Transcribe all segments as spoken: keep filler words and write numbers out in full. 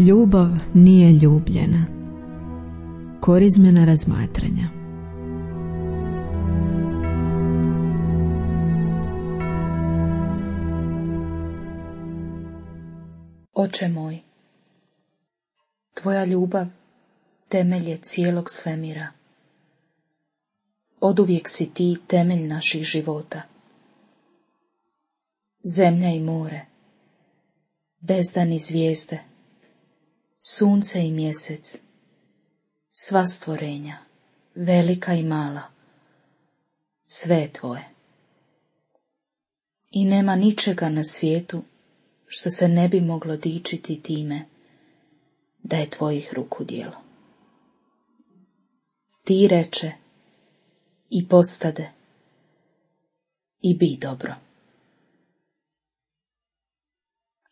Ljubav nije ljubljena. Korizmena razmatranja. Oče moj, tvoja ljubav temelj je cijelog svemira. Oduvijek si ti temelj naših života. Zemlja i more, bezdan i zvijezde, sunce i mjesec, sva stvorenja, velika i mala, sve je tvoje. I nema ničega na svijetu što se ne bi moglo dičiti time da je tvojih ruku djelo. Ti reče i postade i bi dobro.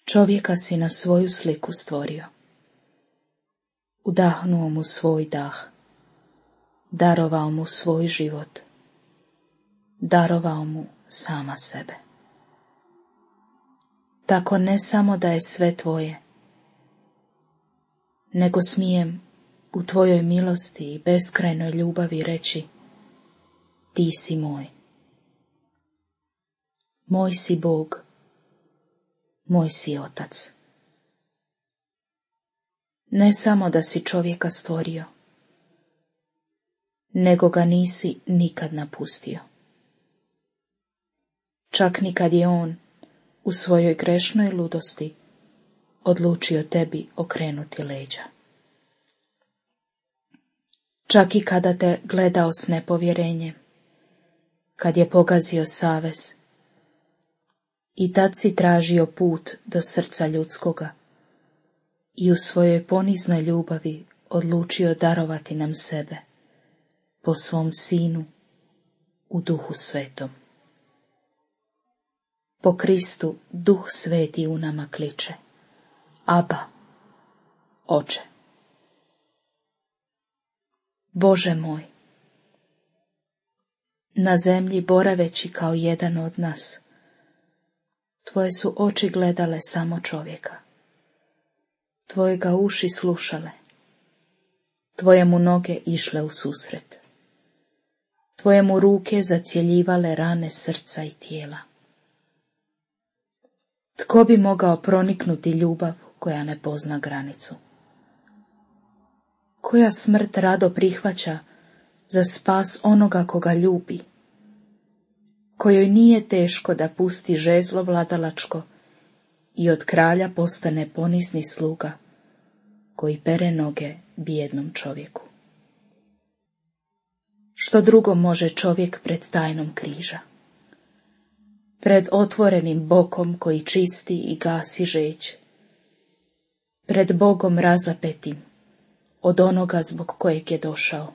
Čovjeka si na svoju sliku stvorio. Udahnuo mu svoj dah, darovao mu svoj život, darovao mu sama sebe. Tako ne samo da je sve tvoje, nego smijem u tvojoj milosti i beskrajnoj ljubavi reći: ti si moj. Moj si Bog, moj si Otac. Ne samo da si čovjeka stvorio, nego ga nisi nikad napustio. Čak ni kad je on u svojoj grešnoj ludosti odlučio tebi okrenuti leđa. Čak i kada te gledao s nepovjerenjem, kad je pogazio savez, i tad si tražio put do srca ljudskoga i u svojoj poniznoj ljubavi odlučio darovati nam sebe po svom Sinu u Duhu Svetom. Po Kristu Duh Sveti u nama kliče: Aba, Oče. Bože moj, na zemlji boraveći kao jedan od nas, tvoje su oči gledale samo čovjeka, tvoje ga uši slušale, tvoje mu noge išle u susret, tvoje mu ruke zacjeljivale rane srca i tijela. Tko bi mogao proniknuti ljubav koja ne pozna granicu? Koja smrt rado prihvaća za spas onoga koga ljubi, kojoj nije teško da pusti žezlo vladalačko i od kralja postane ponizni sluga koji pere noge bijednom čovjeku. Što drugo može čovjek pred tajnom križa? Pred otvorenim bokom koji čisti i gasi žeđ, pred Bogom razapetim od onoga zbog kojeg je došao,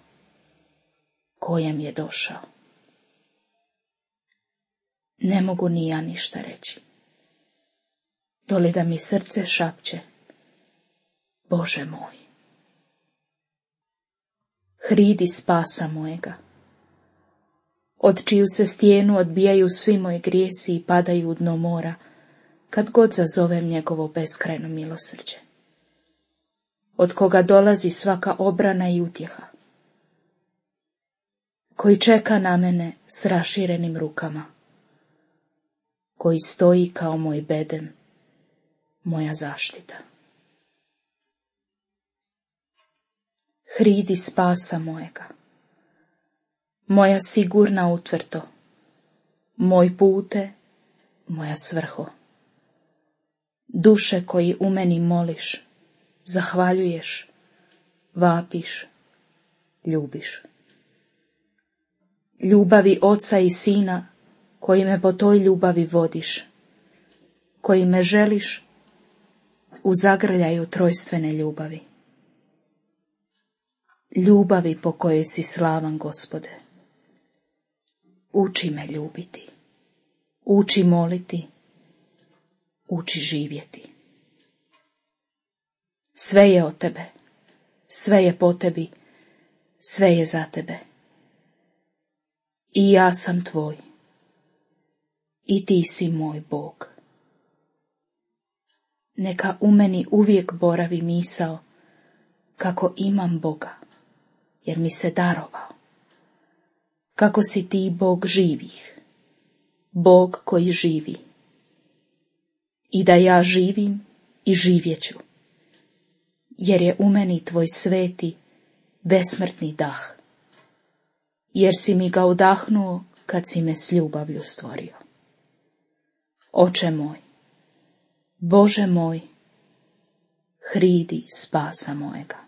kojem je došao. Ne mogu ni ja ništa reći, doli da mi srce šapće: Bože moj. Hridi spasa mojega, od čiju se stijenu odbijaju svi moji grijesi i padaju u dno mora, kad god zazovem njegovo beskrajno milosrđe, od koga dolazi svaka obrana i utjeha, koji čeka na mene s raširenim rukama, koji stoji kao moj bedem, moja zaštita. Hridi spasa mojega, moja sigurna utvrdo, moj pute, moja svrho. Duše koji u meni moliš, zahvaljuješ, vapiš, ljubiš. Ljubavi Oca i Sina, koji me po toj ljubavi vodiš, koji me želiš u zagrljaju trojstvene ljubavi. Ljubavi po kojoj si slavan, Gospode. Uči me ljubiti, uči moliti, uči živjeti. Sve je od tebe, sve je po tebi, sve je za tebe. I ja sam tvoj, i ti si moj Bog. Neka u meni uvijek boravi misao kako imam Boga, jer mi se darovao. Kako si ti Bog živih, Bog koji živi. I da ja živim i živjeću, jer je u meni tvoj sveti, besmrtni dah. Jer si mi ga udahnuo kad si me s ljubavlju stvorio. Oče moj, Bože moj, hridi spasa mojega.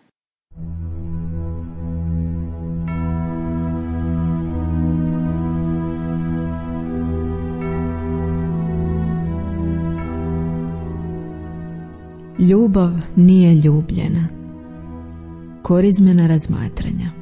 Ljubav nije ljubljena. Korizmena razmatranja.